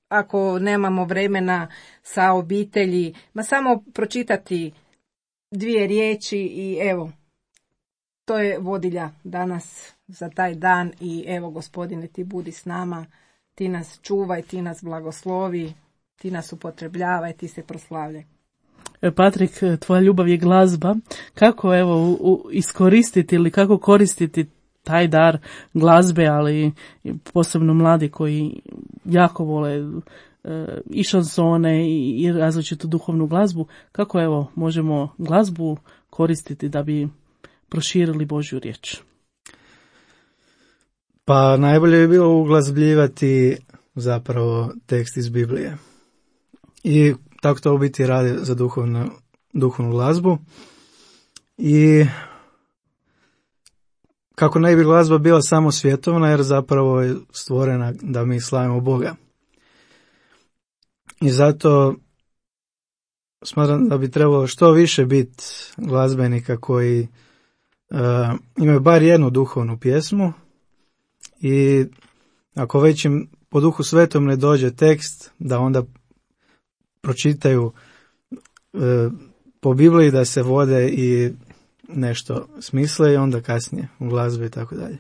Speaker 2: ako nemamo vremena sa obitelji, samo pročitati 2 riječi i evo, to je vodilja danas za taj dan. I evo, Gospodine, ti budi s nama, ti nas čuvaj, ti nas blagoslovi, ti nas upotrebljavaj, ti se proslavljaj.
Speaker 7: Patrik, tvoja ljubav je glazba. Kako evo iskoristiti ili kako koristiti taj dar glazbe, ali posebno mladi koji jako vole i šansone i različitu duhovnu glazbu, kako evo možemo glazbu koristiti da bi proširili Božju riječ?
Speaker 9: Pa najbolje bi bilo uglazbljivati zapravo tekst iz Biblije. I tako to u biti radi za duhovnu glazbu. I kako ne bi glazba bila samo svjetovna, jer zapravo je stvorena da mi slavimo Boga. I zato smatram da bi trebalo što više biti glazbenika koji imaju bar jednu duhovnu pjesmu, i ako već im po Duhu Svetom ne dođe tekst, da onda pročitaju po Bibliji, da se vode i nešto smisle i onda kasnije u glazbi i tako dalje.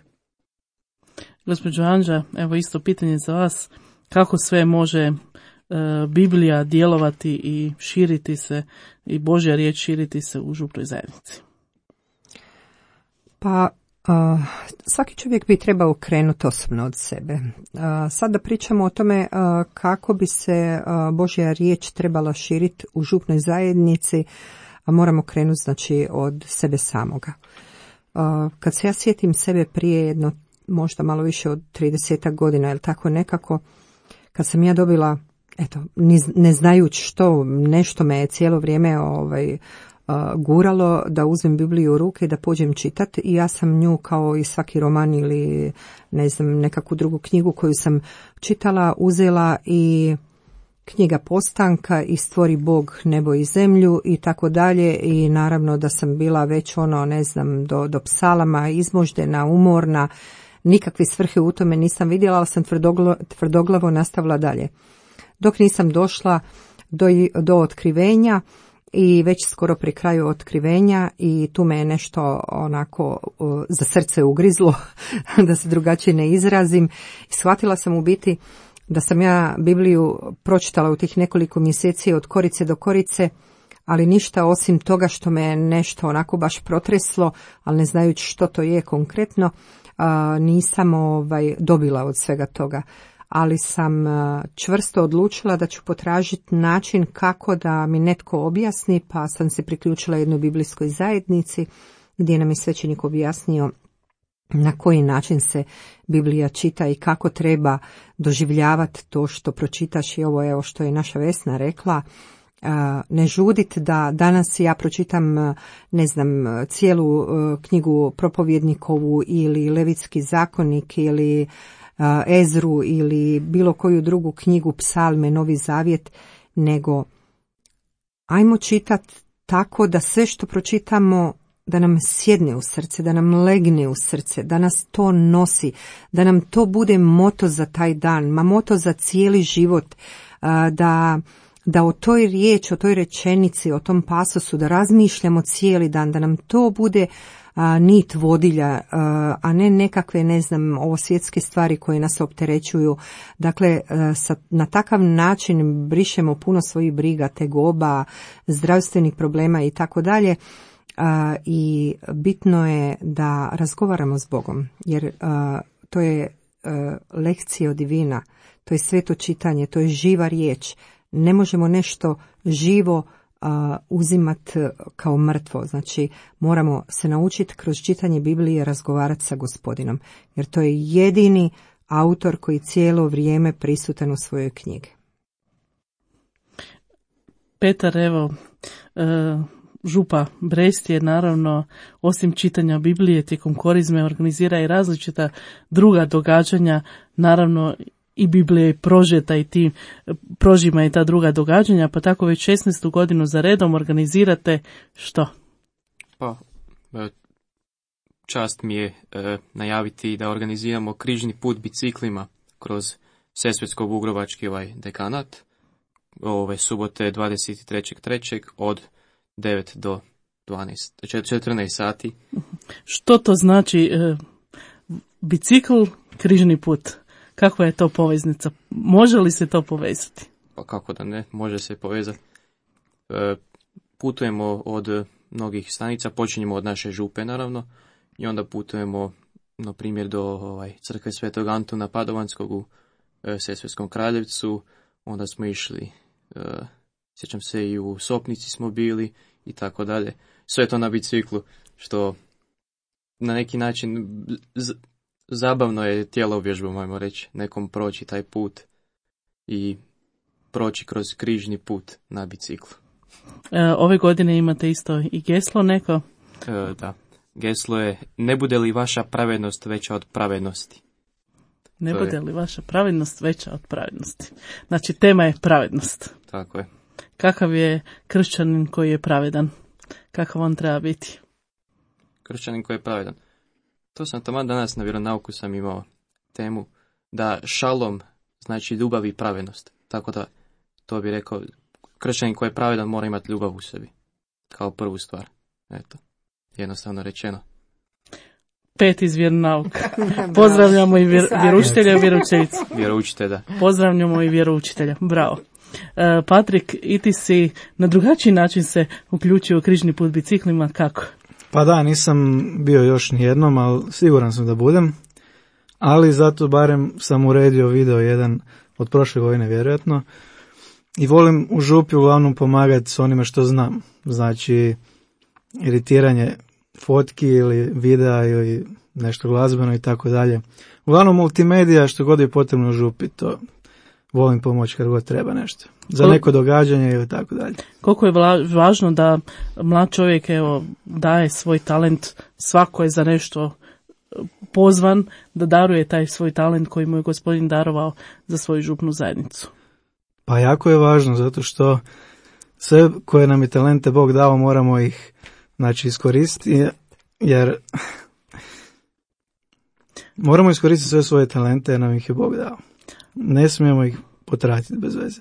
Speaker 7: Gospođo Anđa, evo isto pitanje za vas. Kako sve može Biblija djelovati i širiti se, i Božja riječ širiti se u župnoj zajednici?
Speaker 8: Pa svaki čovjek bi trebao krenuti osobno od sebe. Sad da pričamo o tome kako bi se Božja riječ trebala širiti u župnoj zajednici, moramo krenuti znači od sebe samoga. Kad se ja sjetim sebe prije jedno, možda malo više od 30 godina, ili tako nekako, kad sam ja dobila, eto, ne znajući što, nešto me je cijelo vrijeme guralo da uzmem Bibliju u ruke i da pođem čitati, i ja sam nju kao i svaki roman ili ne znam nekakvu drugu knjigu koju sam čitala uzela, i knjiga Postanka i Stvori Bog nebo i zemlju i tako dalje, i naravno da sam bila već ne znam do psalama izmoždena, umorna, nikakve svrhe u tome nisam vidjela, ali sam tvrdoglavo nastavila dalje. Dok nisam došla do otkrivenja, i već skoro pri kraju otkrivenja, i tu me je nešto onako za srce ugrizlo, da se drugačije ne izrazim. I shvatila sam u biti da sam ja Bibliju pročitala u tih nekoliko mjeseci od korice do korice, ali ništa osim toga što me je nešto onako baš protreslo, ali ne znajući što to je konkretno, nisam dobila od svega toga. Ali sam čvrsto odlučila da ću potražiti način kako da mi netko objasni, pa sam se priključila jednoj biblijskoj zajednici gdje nam je svećenik objasnio na koji način se Biblija čita i kako treba doživljavati to što pročitaš. I ovo je što je naša Vesna rekla, ne žudit da danas ja pročitam, ne znam, cijelu knjigu Propovjednikovu ili Levitski zakonik ili Ezru ili bilo koju drugu knjigu, Psalme, Novi Zavjet, nego ajmo čitati tako da sve što pročitamo da nam sjedne u srce, da nam legne u srce, da nas to nosi, da nam to bude moto za taj dan, moto za cijeli život, da o toj riječi, o toj rečenici, o tom pasosu, da razmišljamo cijeli dan, da nam to bude nit vodilja, a ne nekakve, ne znam, ovo svjetske stvari koje nas opterećuju. Dakle, na takav način brišemo puno svojih briga, tegoba, zdravstvenih problema i tako dalje. I bitno je da razgovaramo s Bogom, jer to je lekcija divina, to je sveto čitanje, to je živa riječ. Ne možemo nešto živo uzimati kao mrtvo. Znači, moramo se naučiti kroz čitanje Biblije razgovarati sa Gospodinom, jer to je jedini autor koji cijelo vrijeme prisutan u svojoj knjigi.
Speaker 7: Petar, evo, župa Brest je naravno osim čitanja Biblije tijekom korizme organizira i različita druga događanja, naravno i Biblija je prožeta i ti prožima i ta druga događanja, pa tako već 16. godinu za redom organizirate što?
Speaker 10: Pa, čast mi je najaviti da organiziramo križni put biciklima kroz Sesvetsko-Vugrovački dekanat ove subote 23.3. od 9 do 14 sati.
Speaker 7: Što to znači bicikl, križni put? Kakva je to poveznica? Može li se to povezati?
Speaker 10: Pa kako da ne, može se povezati. Putujemo od mnogih stanica, počinjemo od naše župe naravno i onda putujemo na primjer do crkve Svetog Antuna Padovanskog u Sesvetskom Kraljevcu, onda smo išli, sjećam se i u Sopnici smo bili i tako dalje. Sve to na biciklu, što na neki način zabavno je tjelovježba, možemo reći, nekom proći taj put i proći kroz križni put na biciklu.
Speaker 7: Ove godine imate isto i geslo neko?
Speaker 10: Da, geslo je: ne bude li vaša pravednost veća od pravednosti?
Speaker 7: Ne bude li vaša pravednost veća od pravednosti? Znači, tema je pravednost.
Speaker 10: Tako je.
Speaker 7: Kakav je kršćanin koji je pravedan? Kakav on treba biti?
Speaker 10: Kršćanin koji je pravedan. To sam taman danas na vjeronauku sam imao temu da šalom znači ljubav i pravednost. Tako da to bi rekao, kršćanin koji je pravedan mora imati ljubav u sebi. Kao prvu stvar. Eto, jednostavno rečeno.
Speaker 7: 5 iz vjeronauka. Pozdravljamo i vjeroučitelja i vjeroučiteljicu.
Speaker 10: Vjeroučitelja.
Speaker 7: Pozdravljamo i vjeroučitelja. Bravo. Patrik, i ti si na drugačiji način se uključio u križni put biciklima, kako?
Speaker 9: Pa da, nisam bio još nijednom, ali siguran sam da budem. Ali zato barem sam uredio video jedan od prošle godine vjerojatno. I volim u župi uglavnom pomagati s onime što znam. Znači, editiranje fotki ili videa ili nešto glazbeno i tako dalje. Uglavnom multimedija, što god je potrebno u župi, to volim pomoći kad god treba nešto. Za neko događanje ili tako dalje.
Speaker 7: Koliko je važno da mlad čovjek daje svoj talent, svako je za nešto pozvan da daruje taj svoj talent koji mu je Gospodin darovao za svoju župnu zajednicu.
Speaker 9: Pa jako je važno, zato što sve koje nam je talente Bog dao moramo ih iskoristiti, jer moramo iskoristiti sve svoje talente jer nam ih je Bog dao. Ne smijemo ih potratiti bez veze.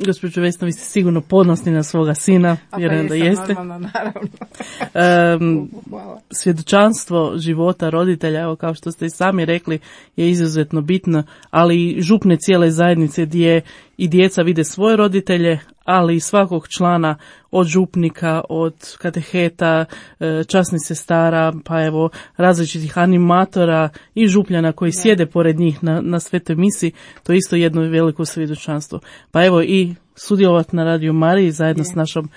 Speaker 7: Gospođo Vesna, vi ste sigurno ponosni na svoga sina, vjerujem da jeste.
Speaker 2: Normalno, naravno.
Speaker 7: Svjedočanstvo života roditelja, evo kao što ste i sami rekli, je izuzetno bitno, ali i župne cijele zajednice gdje i djeca vide svoje roditelje, ali i svakog člana, od župnika, od kateheta, časnih sestara, pa evo različitih animatora i župljana koji sjede pored njih na svetoj misi, to je isto jedno veliko svjedočanstvo. Pa evo i sudjelovati na Radio Mariji zajedno s našom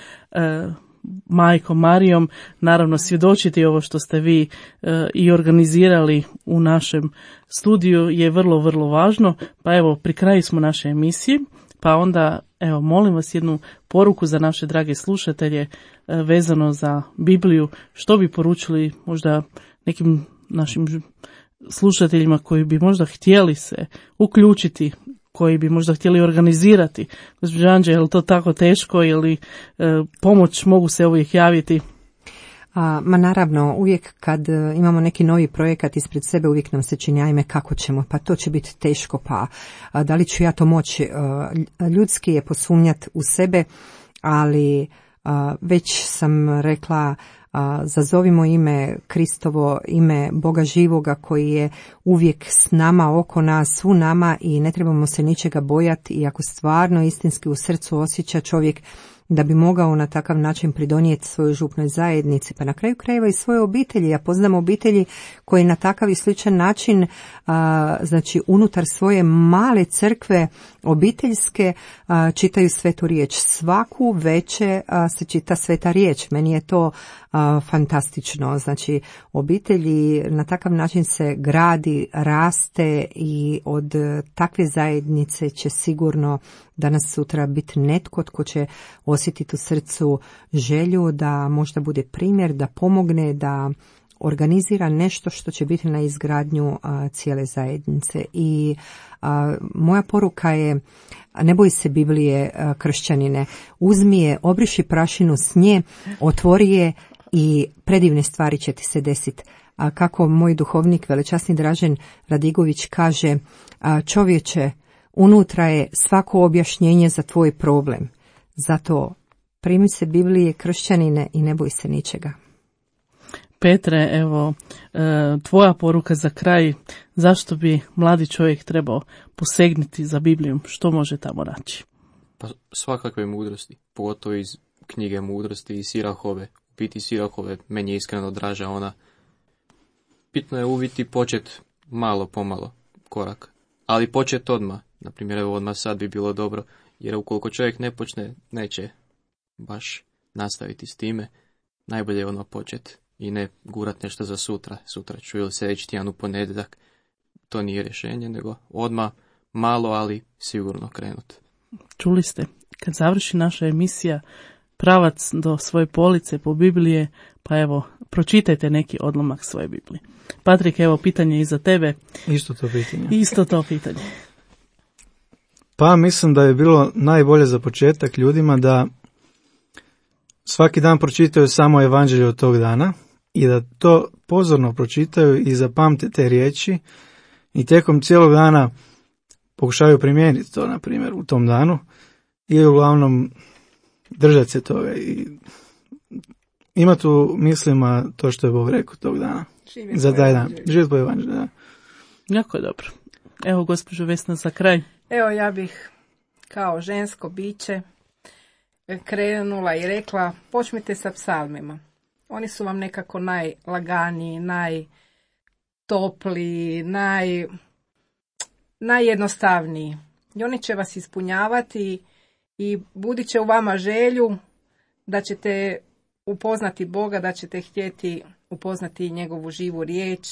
Speaker 7: majkom Marijom, naravno svjedočiti ovo što ste vi i organizirali u našem studiju je vrlo, vrlo važno. Pa evo, pri kraju smo naše emisije, pa onda evo molim vas jednu poruku za naše drage slušatelje vezano za Bibliju. Što bi poručili možda nekim našim slušateljima koji bi možda htjeli se uključiti, koji bi možda htjeli organizirati? Gospođo Anđe, je li to tako teško ili pomoć mogu se uvijek javiti?
Speaker 8: Ma naravno, uvijek kad imamo neki novi projekat ispred sebe, uvijek nam se čini, ajme kako ćemo, pa to će biti teško, pa da li ću ja to moći? Ljudski je posumnjati u sebe, ali već sam rekla, zazovimo ime Kristovo, ime Boga živoga koji je uvijek s nama, oko nas, u nama i ne trebamo se ničega bojati, i ako stvarno istinski u srcu osjeća čovjek da bi mogao na takav način pridonijeti svojoj župnoj zajednici, pa na kraju krajeva i svoje obitelji. Ja poznam obitelji koji na takav i sličan način, znači unutar svoje male crkve obiteljske, čitaju svetu riječ. Svaku večer se čita sveta riječ. Meni je to fantastično. Znači obitelji na takav način se gradi, raste i od takve zajednice će sigurno danas sutra biti netko tko će osjetiti u srcu želju da možda bude primjer, da pomogne, da organizira nešto što će biti na izgradnju cijele zajednice. I moja poruka je, ne boj se Biblije, kršćanine, uzmi je, obriši prašinu s nje, otvori je i predivne stvari će ti se desiti. A kako moj duhovnik, velečasni Dražen Radigović kaže, čovječe, unutra je svako objašnjenje za tvoj problem. Zato primi se Biblije, kršćanine, i ne boj se ničega.
Speaker 7: Petre, evo, tvoja poruka za kraj, zašto bi mladi čovjek trebao posegnuti za Biblijom, što može tamo naći?
Speaker 10: Pa svakakve mudrosti, pogotovo iz knjige mudrosti i Sirahove. U biti Sirahove meni iskreno draža ona. Bitno je uviti počet malo pomalo korak, ali počet odmah. Naprimjer, evo odmah sad bi bilo dobro, jer ukoliko čovjek ne počne, neće baš nastaviti s time. Najbolje je odmah počet i ne gurat nešto za sutra ću ili sljedeći tjedan u ponedjeljak. To nije rješenje, nego odmah malo, ali sigurno krenut.
Speaker 7: Čuli ste, kad završi naša emisija, pravac do svoje police po Biblije, pa evo, pročitajte neki odlomak svoje Biblije. Patrik, evo, pitanje i za tebe. Isto to pitanje.
Speaker 9: Pa mislim da je bilo najbolje za početak ljudima da svaki dan pročitaju samo evanđelje od tog dana i da to pozorno pročitaju i zapamte te riječi i tijekom cijelog dana pokušaju primijeniti to, na primjer, u tom danu i uglavnom držati se toga i imati u mislima to što je Bog rekao tog dana. Za taj dan. Živjeti po evanđelju, da.
Speaker 7: Jako dobro. Evo, gospođo Vesna, za kraj.
Speaker 2: Evo, ja bih kao žensko biće krenula i rekla, počnite sa psalmima. Oni su vam nekako najlaganiji, najtopliji, najjednostavniji. I oni će vas ispunjavati i budit će u vama želju da ćete upoznati Boga, da ćete htjeti upoznati njegovu živu riječ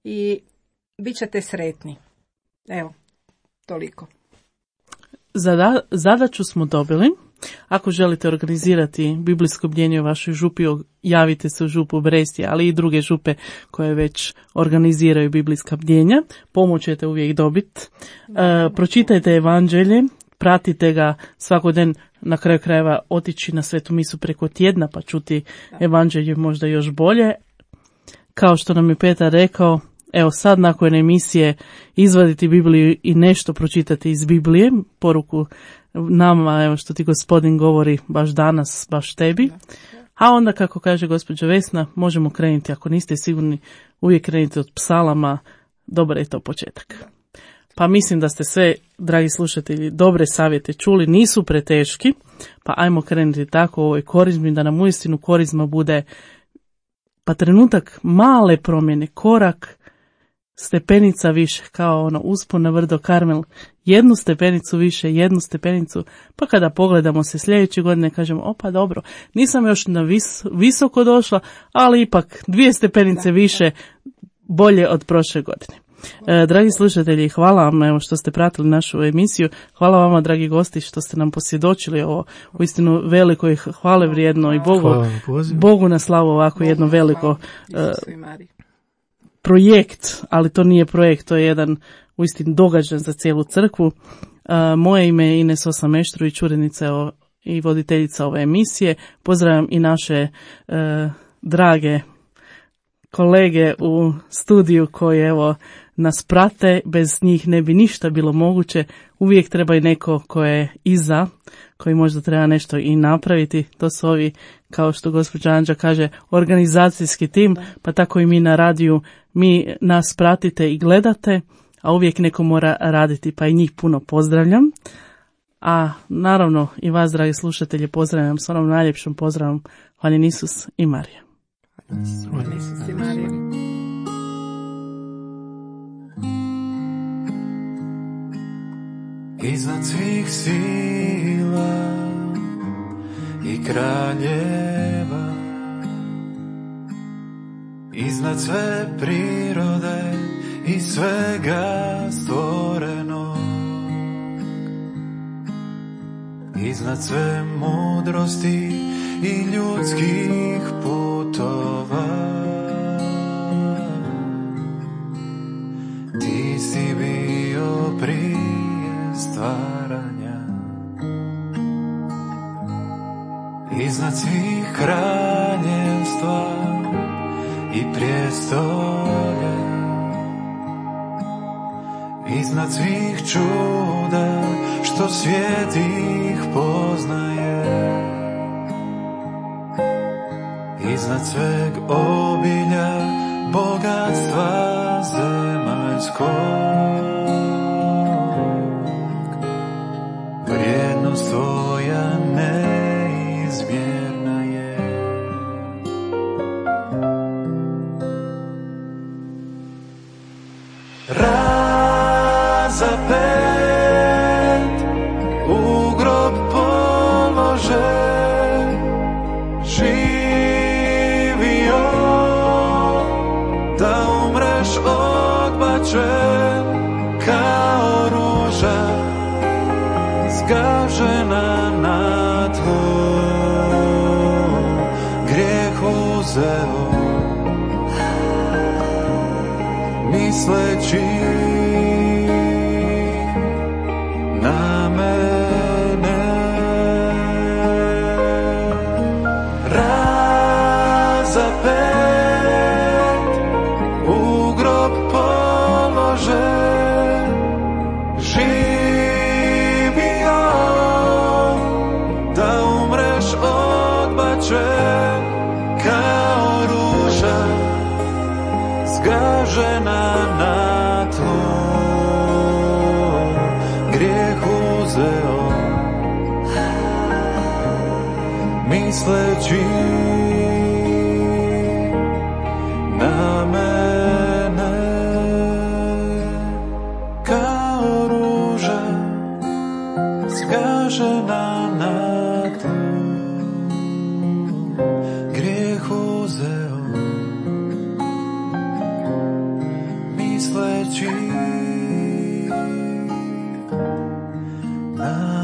Speaker 2: i bit ćete sretni. Evo, toliko.
Speaker 7: Zadaću smo dobili. Ako želite organizirati biblijsko bdjenje u vašoj župi, javite se u župu Brestje, ali i druge župe koje već organiziraju biblijska bdjenja. Pomoć ćete uvijek dobiti. Pročitajte evanđelje, pratite ga svako dan, na kraju krajeva otići na svetu misu preko tjedna pa čuti evanđelje možda još bolje. Kao što nam je Petar rekao, evo sad nakon emisije izvaditi Bibliju i nešto pročitati iz Biblije, poruku nama, evo što ti Gospodin govori baš danas, baš tebi. A onda, kako kaže gospođa Vesna, možemo krenuti, ako niste sigurni, uvijek krenite od psalama, dobar je to početak. Pa mislim da ste sve, dragi slušatelji, dobre savjete čuli, nisu preteški, pa ajmo krenuti tako u ovoj korizmi, da nam uistinu korizma bude pa trenutak male promjene, korak, stepenica više, kao ono uspon na vrdo Karmel, jednu stepenicu više, jednu stepenicu, pa kada pogledamo se sljedeće godine kažemo, opa dobro, nisam još na visoko došla, ali ipak 2 stepenice više, bolje od prošle godine. Dragi slušatelji, hvala vam evo, što ste pratili našu emisiju, hvala vama dragi gosti što ste nam posvjedočili ovo uistinu veliko i hvale vrijedno i Bogu na slavu ovako jedno veliko projekt, ali to nije projekt, to je jedan uistinu događaj za cijelu crkvu. Moje ime je Ines Osameštrović, urednica i voditeljica ove emisije. Pozdravljam i naše drage kolege u studiju koji evo nas prate, bez njih ne bi ništa bilo moguće, uvijek treba i neko ko je iza, koji možda treba nešto i napraviti, to su ovi, kao što gospođa Anđa kaže, organizacijski tim, pa tako i mi na radiju, mi nas pratite i gledate, a uvijek neko mora raditi, pa i njih puno pozdravljam. A naravno i vas, dragi slušatelji, pozdravljam s onom najljepšom pozdravom, hvaljen Isus i Marija.
Speaker 2: Hvaljen Isus i Marija.
Speaker 11: Iznad svih sila i kraljeva, iznad sve prirode i svega stvorenog, iznad sve mudrosti i ljudskih putova, ti si bio prije stvaranja. Iznad svih kraljevstva i prijestolje, iznad svih čuda što svijet ih poznaje, iznad sveg obilja bogatstva zemaljskog, vrijednost tvoja neizmjerna je. Razapet, u grob polože, živio, da umreš odbačen kao ruža, zgažena na tlu, grijeh uzeo, misleći na mene. Razapet, u grob polože, živio, da umreš odbačen kao ruža, zgažena na tlu, grijeh uzeo, misleći na mene. Kao ruža, zgažena na tlu, grijeh uzeo, misleći na